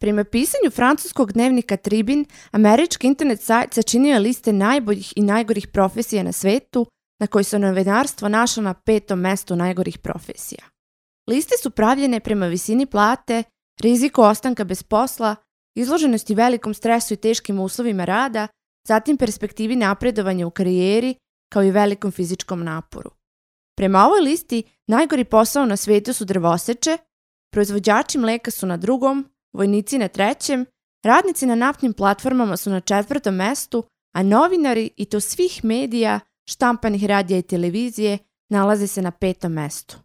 Prema pisanju francuskog dnevnika Tribune, američki internet sajt sačinio je liste najboljih i najgorih profesija na svetu, na kojoj se novinarstvo našlo na 5. mestu najgorih profesija. Liste su pravljene prema visini plate, riziku ostanka bez posla, izloženosti velikom stresu i teškim uslovima rada, zatim perspektivi napredovanja u karijeri, kao i velikom fizičkom naporu. Prema ovoj listi, najgori posao na svetu su drvoseče, proizvođači mleka su na 2., vojnici na 3., radnici na naftnim platformama su na 4. mestu, a novinari, i to svih medija, štampanih radija i televizije, nalaze se na 5. mestu.